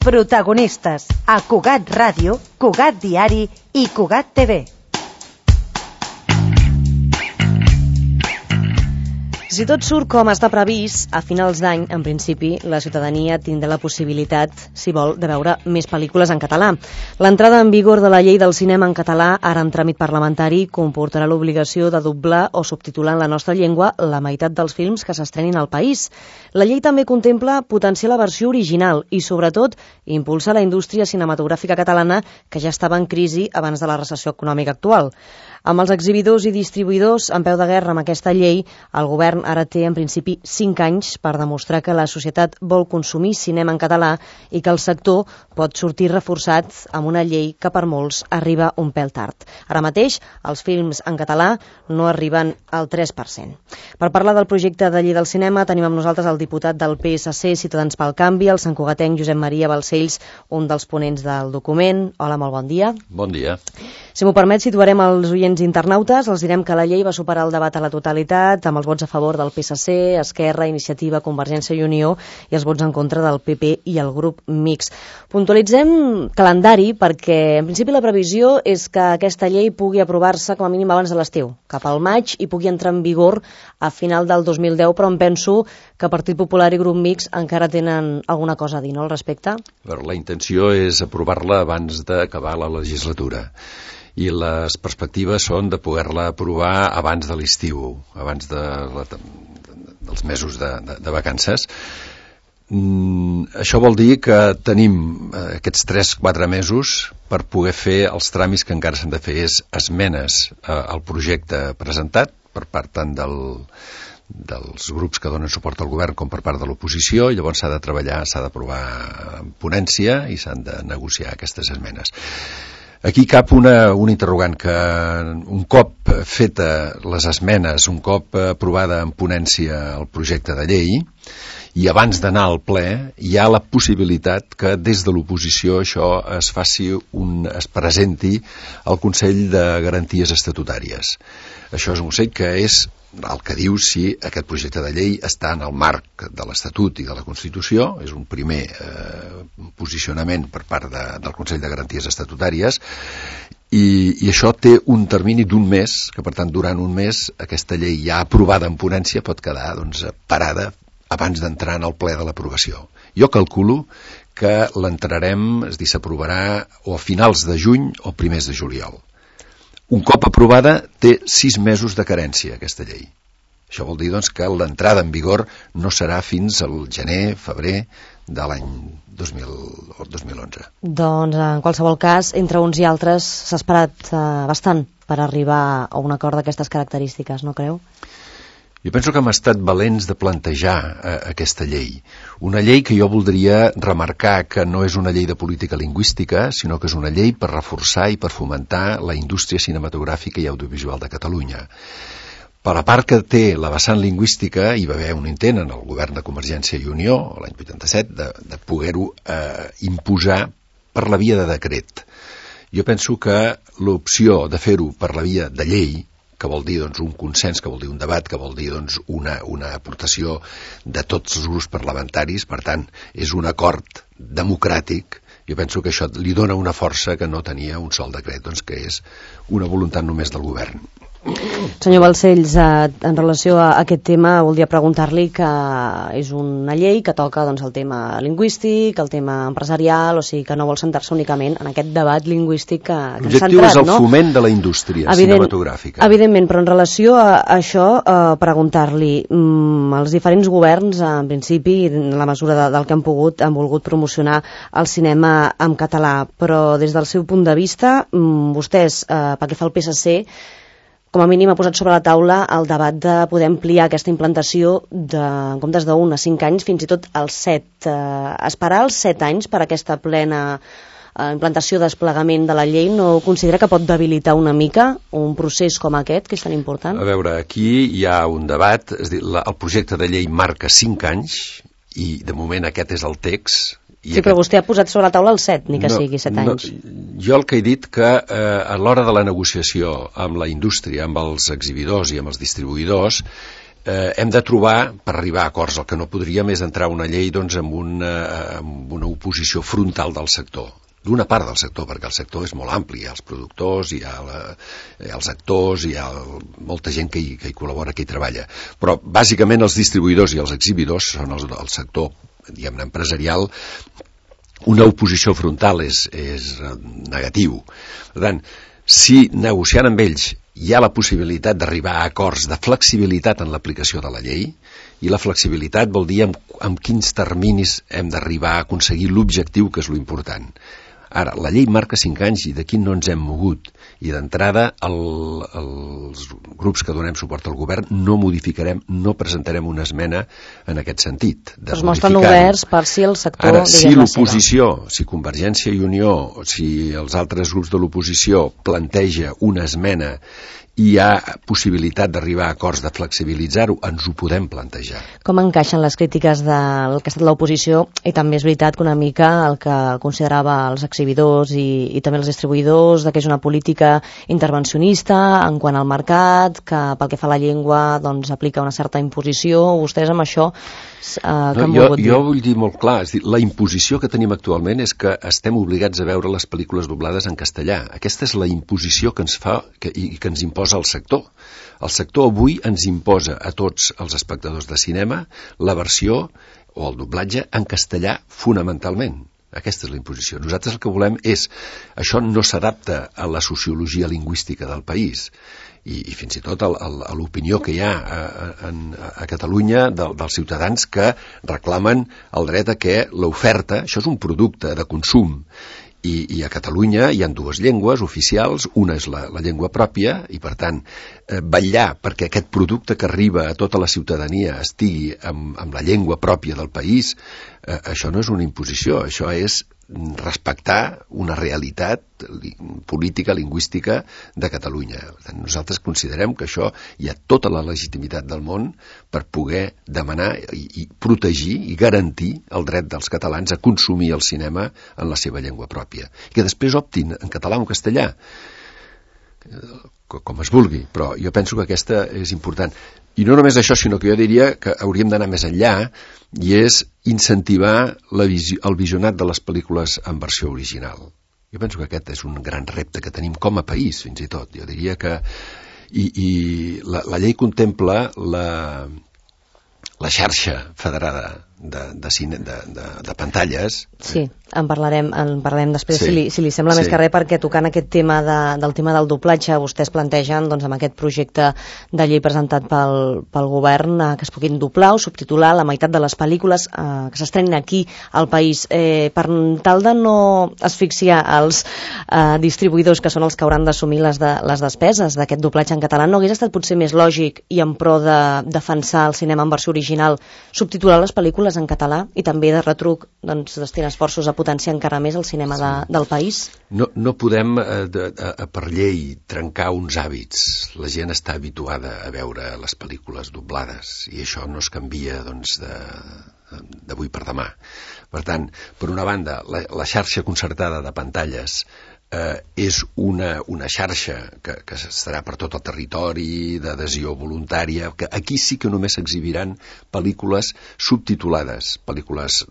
Protagonistes a Cugat Ràdio, Cugat Diari i Cugat TV. Si tot surt com està previst, a finals d'any, en principi, la ciutadania tindrà la possibilitat, si vol, de veure més pel·lícules en català. L'entrada en vigor de la llei del cinema en català, ara en tràmit parlamentari, comportarà l'obligació de doblar o subtitular en la nostra llengua la meitat dels films que s'estrenin al país. La llei també contempla potenciar la versió original i, sobretot, impulsar la indústria cinematogràfica catalana, que ja estava en crisi abans de la recessió econòmica actual. Amb els exhibidors i distribuïdors en peu de guerra amb aquesta llei, el govern ara té en principi 5 anys per demostrar que la societat vol consumir cinema en català i que el sector pot sortir reforçat amb una llei que per molts arriba un pèl tard. Ara mateix, els films en català no arriben al 3%. Per parlar del projecte de llei del cinema, tenim amb nosaltres el diputat del PSC, Ciutadans pel Canvi, el santcugatenc Josep Maria Balcells, un dels ponents del document. Hola, molt bon dia. Bon dia. Si m'ho permet, situarem els oients internautes. Els direm que la llei va superar el debat a la totalitat amb els vots a favor del PSC, Esquerra, Iniciativa, Convergència i Unió i els vots en contra del PP i el grup mixt. Puntualitzem calendari perquè, en principi, la previsió és que aquesta llei pugui aprovar-se com a mínim abans de l'estiu, cap al maig, i pugui entrar en vigor a final del 2010, però em penso que Partit Popular i grup mixt encara tenen alguna cosa a dir, no, al respecte? La intenció és aprovar-la abans d'acabar la legislatura. I les perspectives són de poder-la aprovar abans de l'estiu, abans dels mesos de vacances. Això vol dir que tenim aquests 3-4 mesos per poder fer els tràmits que encara s'han de fer, és esmenes al projecte presentat per part tant dels grups que donen suport al govern com per part de l'oposició, i llavors s'ha de treballar, s'ha d'aprovar en ponència i s'han de negociar aquestes esmenes. Aquí cap una interrogant, que un cop feta les esmenes, un cop aprovada en ponència el projecte de llei, i abans d'anar al ple, hi ha la possibilitat que des de l'oposició això es presenti al Consell de Garanties Estatutàries. Això és un consell que és el que diu si aquest projecte de llei està en el marc de l'Estatut i de la Constitució. És un primer posicionament per part del Consell de Garanties Estatutàries, i això té un termini d'1 mes, que per tant durant un mes aquesta llei ja aprovada en ponència pot quedar parada abans d'entrar en el ple de l'aprovació. Jo calculo que l'entrarem, és a dir, s'aprovarà o a finals de juny o primers de juliol. Un cop aprovada, té 6 mesos de carència, aquesta llei. Això vol dir, doncs, que l'entrada en vigor no serà fins al gener, febrer de l'any 2011. Doncs, en qualsevol cas, entre uns i altres s'ha esperat bastant per arribar a un acord d'aquestes característiques, no creu? Jo penso que hem estat valents de plantejar aquesta llei. Una llei que jo voldria remarcar que no és una llei de política lingüística, sinó que és una llei per reforçar i per fomentar la indústria cinematogràfica i audiovisual de Catalunya. Per la part que té la vessant lingüística, hi va haver un intent en el govern de Convergència i Unió, l'any 87, de poder-ho imposar per la via de decret. Jo penso que l'opció de fer-ho per la via de llei, que vol dir un consens, que vol dir un debat, que vol dir una aportació de tots els grups parlamentaris, per tant, és un acord democràtic. Jo penso que això li dona una força que no tenia un sol decret, que és una voluntat només del govern. Senyor Balcells, en relació a aquest tema, voldria preguntar-li que és una llei que toca el tema lingüístic, el tema empresarial, o sigui que no vol centrar-se únicament en aquest debat lingüístic que ens ha centrat, no? L'objectiu és el foment de la indústria cinematogràfica. Evidentment, però en relació a això, preguntar-li, els diferents governs, en principi, en la mesura del que han pogut, han volgut promocionar el cinema en català, però des del seu punt de vista, vostès, pel que fa al PSC, com a mínim ha posat sobre la taula el debat de poder ampliar aquesta implantació en comptes d'1 a 5 anys, fins i tot als 7. Esperar els 7 anys per aquesta plena implantació, desplegament de la llei, no considera que pot debilitar una mica un procés com aquest, que és tan important? A veure, aquí hi ha un debat, és a dir, el projecte de llei marca 5 anys i de moment aquest és el text. Sí, però vostè ha posat sobre la taula el 7, ni que sigui 7 anys. Jo el que he dit que a l'hora de la negociació amb la indústria, amb els exhibidors i amb els distribuïdors, hem de trobar, per arribar a acords, el que no podríem és entrar una llei doncs, amb una oposició frontal del sector, d'una part del sector, perquè el sector és molt ampli, hi ha els productors, hi ha els actors, hi ha molta gent que hi col·labora, que hi treballa. Però, bàsicament, els distribuïdors i els exhibidors són el sector, diguem-ne, empresarial. Una oposició frontal és negatiu. Per tant, si negociant amb ells hi ha la possibilitat d'arribar a acords de flexibilitat en l'aplicació de la llei, i la flexibilitat vol dir amb quins terminis hem d'arribar a aconseguir l'objectiu, que és l'important. Ara, la llei marca 5 anys i d'aquí no ens hem mogut. I d'entrada, els grups que donem suport al govern no modificarem, no presentarem una esmena en aquest sentit. Es mostren oberts per si el sector... Ara, si l'oposició, si Convergència i Unió, si els altres grups de l'oposició planteja una esmena i hi ha possibilitat d'arribar a acords de flexibilitzar-ho, ens ho podem plantejar. Com encaixen les crítiques del que ha estat l'oposició? I també és veritat que una mica el que considerava els exhibidors i també els distribuïdors, que és una política intervencionista en quant al mercat, que pel que fa a la llengua doncs, aplica una certa imposició. Vostès amb això jo vull dir molt clar, és dir, la imposició que tenim actualment és que estem obligats a veure les pel·lícules doblades en castellà. Aquesta és la imposició que ens fa i que ens imposa el sector. El sector avui ens imposa a tots els espectadors de cinema la versió o el doblatge en castellà fonamentalment. Aquesta és la imposició. Nosaltres el que volem és... Això no s'adapta a la sociologia lingüística del país i fins i tot a l'opinió que hi ha a Catalunya dels ciutadans que reclamen el dret a que l'oferta, això és un producte de consum, i a Catalunya hi ha 2 llengües oficials, una és la llengua pròpia, i per tant vetllar perquè aquest producte que arriba a tota la ciutadania estigui amb la llengua pròpia del país, això no és una imposició, això és respectar una realitat política, lingüística de Catalunya. Nosaltres considerem que això hi ha tota la legitimitat del món per poder demanar i protegir i garantir el dret dels catalans a consumir el cinema en la seva llengua pròpia. I que després optin en català o en castellà, com es vulgui, però jo penso que aquesta és important. I no només això, sinó que jo diria que hauríem d'anar més enllà, i és incentivar el visionat de les pel·lícules en versió original. Jo penso que aquest és un gran repte que tenim com a país, fins i tot. Jo diria que... I la llei contempla la xarxa federada de pantalles. Sí, en parlarem després, sí, si li sembla més que res, perquè tocant aquest tema del tema del doblatge, vostès plantegen doncs, amb aquest projecte de llei presentat pel govern que es puguin doblar o subtitular la meitat de les pel·lícules que s'estrenin aquí al país, per tal de no asfixiar els distribuïdors, que són els que hauran d'assumir les despeses d'aquest doblatge en català. No hagués estat potser més lògic, i en pro de defensar el cinema en versió original, subtitular les pel·lícules en català i també de retruc doncs, destinar esforços a potenciar encara més el cinema del país? No podem, per llei, trencar uns hàbits. La gent està habituada a veure les pel·lícules doblades i això no es canvia d'avui per demà. Per tant, per una banda, la xarxa concertada de pantalles és una xarxa que estarà per tot el territori, d'adhesió voluntària, que aquí sí que només s'exhibiran pel·lícules subtitulades, pel·lícules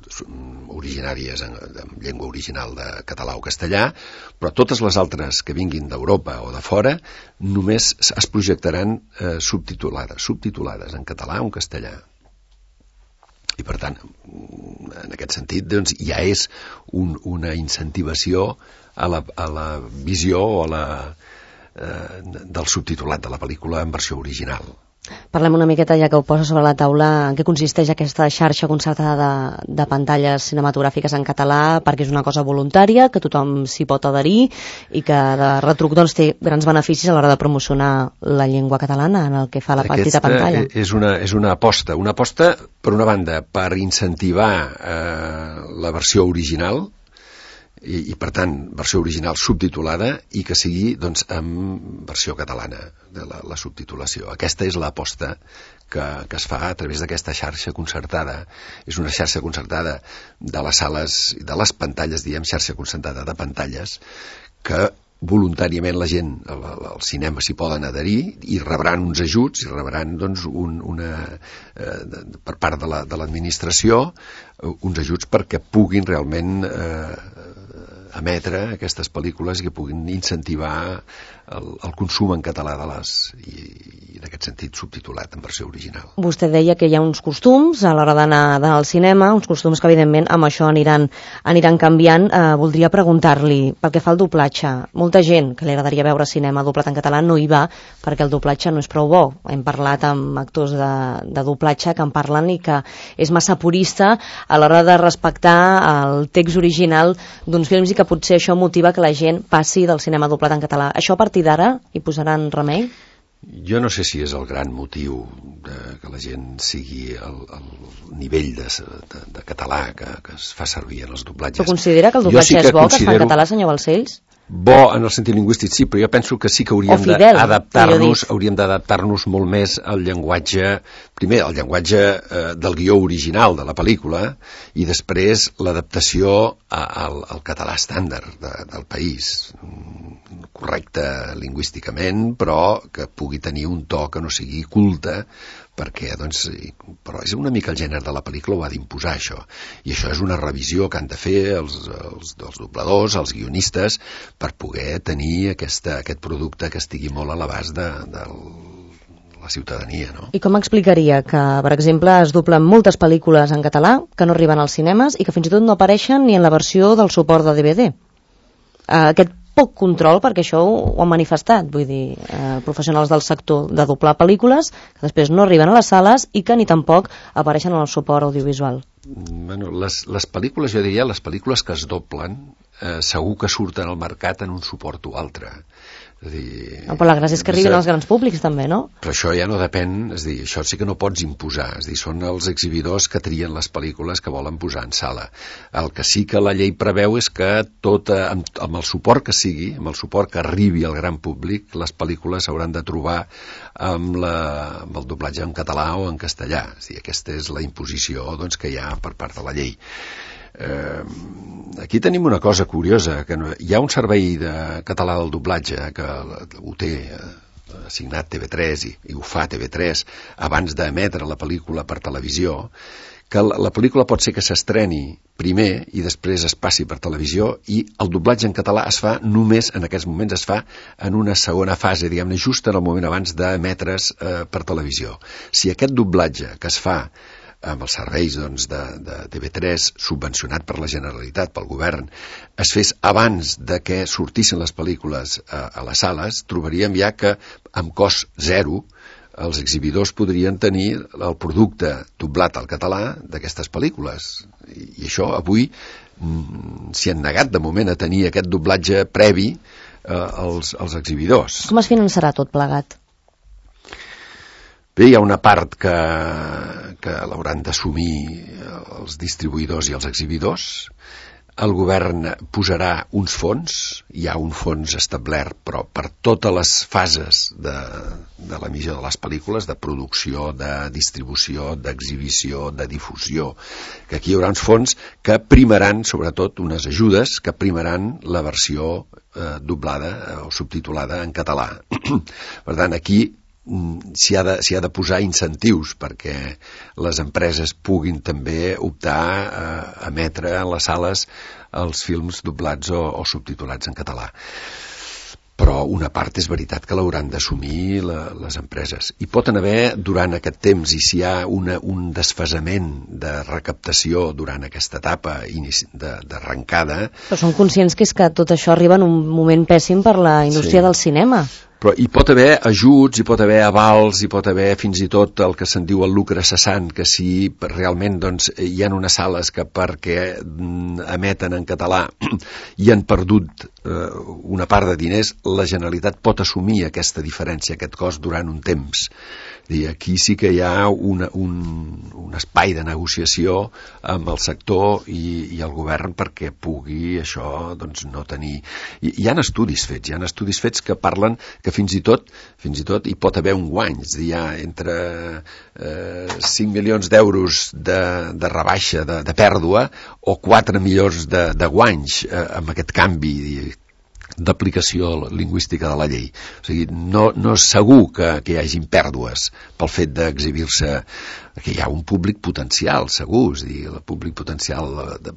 originàries en llengua original de català o castellà, però totes les altres que vinguin d'Europa o de fora només es projectaran subtitulades en català o en castellà. I per tant, en aquest sentit, doncs, ja és una incentivació a la visió o del subtitulat de la pel·lícula en versió original. Parlem una miqueta, ja que ho posa sobre la taula, en què consisteix aquesta xarxa concertada de pantalles cinematogràfiques en català, perquè és una cosa voluntària, que tothom s'hi pot adherir i que de retruc doncs, té grans beneficis a l'hora de promocionar la llengua catalana en el que fa la petita pantalla. És una aposta, per una banda, per incentivar la versió original, i per tant, versió original subtitulada, i que sigui doncs, en versió catalana de la subtitulació. Aquesta és l'aposta que es fa a través d'aquesta xarxa concertada. És una xarxa concertada de les sales, de les pantalles, xarxa concertada de pantalles, que voluntàriament la gent al cinema s'hi poden adherir i rebran uns ajuts, i rebran doncs, per part de l'administració uns ajuts perquè puguin realment emetre aquestes pel·lícules i que puguin incentivar el consum en català i en aquest sentit subtitulat en versió original. Vostè deia que hi ha uns costums a l'hora d'anar al cinema, uns costums que evidentment amb això aniran canviant. Voldria preguntar-li, pel que fa al doblatge, molta gent que li agradaria veure cinema doblat en català no hi va perquè el doblatge no és prou bo. Hem parlat amb actors de doblatge que en parlen i que és massa purista a l'hora de respectar el text original d'uns films i que potser això motiva que la gent passi del cinema doblat en català. Això a partir d'ara hi posaran remei? Jo no sé si és el gran motiu que la gent sigui el nivell de català que es fa servir en els doblatges. Però considera que el doblatge és bo, que es fa en català, senyor Balcells? Bo en el sentit lingüístic sí, però jo penso que sí que hauríem d'adaptar-nos molt més al llenguatge, primer el llenguatge del guió original de la pel·lícula i després l'adaptació al català estàndard del país, correcte lingüísticament, però que pugui tenir un to que no sigui culte, perquè, doncs, però és una mica el gènere de la pel·lícula ho ha d'imposar això, i això és una revisió que han de fer els dobladors, els guionistes, per poder tenir aquest producte que estigui molt a l'abast de la ciutadania, no? I com explicaria que, per exemple, es doblen moltes pel·lícules en català que no arriben als cinemes i que fins i tot no apareixen ni en la versió del suport de DVD? Aquest poc control, perquè això ho han manifestat, vull dir, professionals del sector de doblar pel·lícules que després no arriben a les sales i que ni tampoc apareixen en el suport audiovisual. Bueno, les pel·lícules, jo diria, les pel·lícules que es doblen segur que surten al mercat en un suport o altre. És a dir, però la gràcia és que arribin als grans públics també, no? Però això ja no depèn, és a dir, això sí que no pots imposar, és a dir, són els exhibidors que trien les pel·lícules que volen posar en sala. El que sí que la llei preveu és que amb el suport que sigui, amb el suport que arribi al gran públic, les pel·lícules s'hauran de trobar amb el doblatge en català o en castellà. És a dir, aquesta és la imposició, doncs, que hi ha per part de la llei. Aquí tenim una cosa curiosa, que hi ha un servei de català del doblatge que ho té assignat TV3 i ho fa TV3 abans d'emetre la pel·lícula per televisió, que la pel·lícula pot ser que s'estreni primer i després es passi per televisió i el doblatge en català es fa només, en aquests moments es fa en una segona fase, diguem-ne, just en el moment abans d'emetre's per televisió. Si aquest doblatge que es fa amb els serveis doncs, de TV3 subvencionat per la Generalitat, pel govern, es fes abans de que sortissin les pel·lícules a les sales, trobaríem ja que amb cost zero els exhibidors podrien tenir el producte doblat al català d'aquestes pel·lícules. I això avui s'hi han negat de moment a tenir aquest doblatge previ als exhibidors. Com es finançarà tot plegat? Bé, hi ha una part que l'hauran d'assumir els distribuïdors i els exhibidors. El govern posarà uns fons, hi ha un fons establert, però per totes les fases de l'emissió de les pel·lícules, de producció, de distribució, d'exhibició, de difusió, que aquí hi haurà uns fons que primaran, sobretot unes ajudes, que primaran la versió doblada o subtitulada en català. Per tant, aquí s'hi ha de posar incentius perquè les empreses puguin també optar a emetre en les sales els films doblats o subtitulats en català. Però una part és veritat que l'hauran d'assumir les empreses. I pot haver, durant aquest temps, i si hi ha un desfasament de recaptació durant aquesta etapa d'arrencada... Però són conscients que és que tot això arriba en un moment pèssim per la indústria del cinema. Però hi pot haver ajuts, hi pot haver avals, hi pot haver fins i tot el que se'n diu el lucre cessant, que si realment doncs, hi ha unes sales que perquè emeten en català i han perdut una part de diners, la Generalitat pot assumir aquesta diferència, aquest cost durant un temps. I aquí sí que hi ha un espai de negociació amb el sector i el govern perquè pugui això doncs, no tenir... Hi ha estudis fets que parlen que fins i tot hi pot haver un guany, és a dir, hi ha entre 5 milions d'euros de rebaixa, de pèrdua, o 4 milions de guanys amb aquest canvi. d'aplicació lingüística de la llei. O sigui, no és segur que hi hagin pèrdues pel fet d'exhibir-se, que hi ha un públic potencial, segur, és a dir, el públic potencial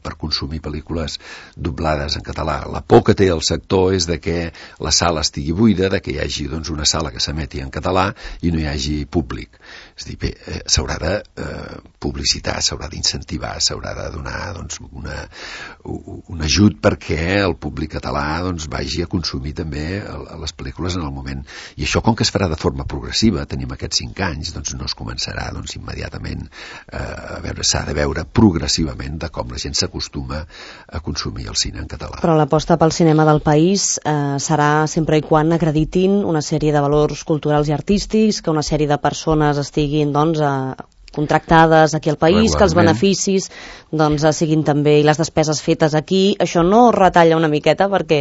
per consumir pel·lícules doblades en català. La por que té el sector és de que la sala estigui buida, de que hi hagi doncs, una sala que s'emeti en català i no hi hagi públic. És a dir, bé, s'haurà de publicitar, s'haurà d'incentivar, s'haurà de donar doncs, un ajut perquè el públic català doncs, vagi a consumir també les pel·lícules en el moment. I això, com que es farà de forma progressiva, tenim aquests 5 anys, doncs no es començarà doncs, immediatament a veure, s'ha de veure progressivament de com la gent s'acostuma a consumir el cine en català. Però l'aposta pel cinema del país serà sempre i quan acreditin una sèrie de valors culturals i artístics, que una sèrie de persones estiguin doncs, contractades aquí al país, que els beneficis doncs, siguin també i les despeses fetes aquí. Això no retalla una miqueta perquè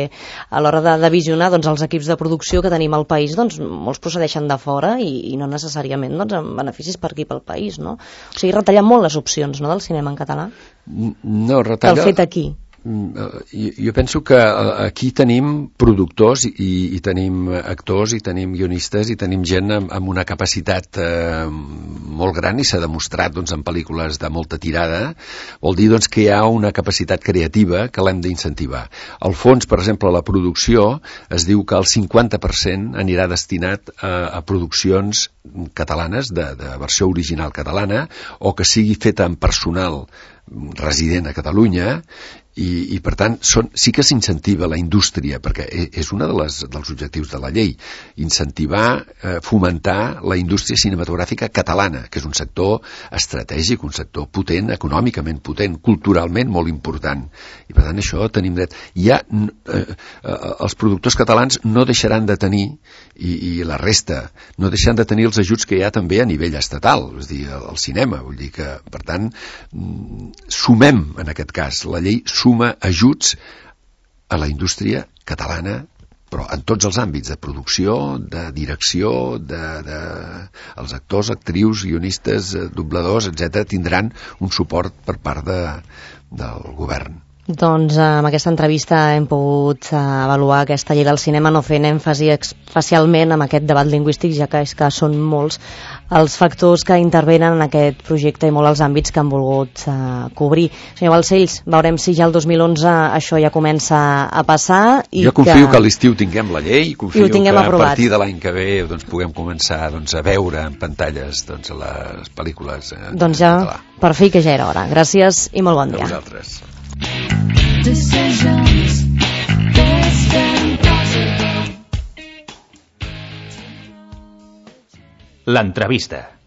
a l'hora de visionar doncs, els equips de producció que tenim al país, doncs, molts procedeixen de fora i no necessàriament doncs, amb beneficis per aquí pel país, no? O sigui, retalla molt les opcions, no?, del cinema en català. No, retalla... El fet aquí. Jo penso que aquí tenim productors i tenim actors i tenim guionistes i tenim gent amb una capacitat molt gran i s'ha demostrat doncs, en pel·lícules de molta tirada. Vol dir doncs, que hi ha una capacitat creativa que l'hem d'incentivar. Al fons, per exemple, la producció es diu que el 50% anirà destinat a produccions catalanes de versió original catalana o que sigui feta en personal resident a Catalunya i per tant sí que s'incentiva la indústria, perquè és un dels objectius de la llei, incentivar, fomentar la indústria cinematogràfica catalana, que és un sector estratègic, un sector potent, econòmicament potent, culturalment molt important, i per tant això tenim dret. Els productors catalans no deixaran de tenir, i la resta, no deixaran de tenir els ajuts que hi ha també a nivell estatal, és a dir, al cinema, vull dir que, per tant, sumem, en aquest cas, la llei suma ajuts a la indústria catalana, però en tots els àmbits, de producció, de direcció, els actors, actrius, guionistes, dobladors, etc., tindran un suport per part del govern. Doncs amb aquesta entrevista hem pogut avaluar aquesta llei del cinema, no fent èmfasi especialment en aquest debat lingüístic, ja que és que són molts els factors que intervenen en aquest projecte i molt els àmbits que han volgut cobrir. Senyor Balcells, veurem si ja el 2011 això ja comença a passar. Jo confio que a l'estiu tinguem la llei, confio que a aprovat. Partir de l'any que ve doncs, puguem començar a veure en pantalles les pel·lícules en català. Per fi que ja era hora. Gràcies i molt bon dia. A vosaltres. L'entrevista.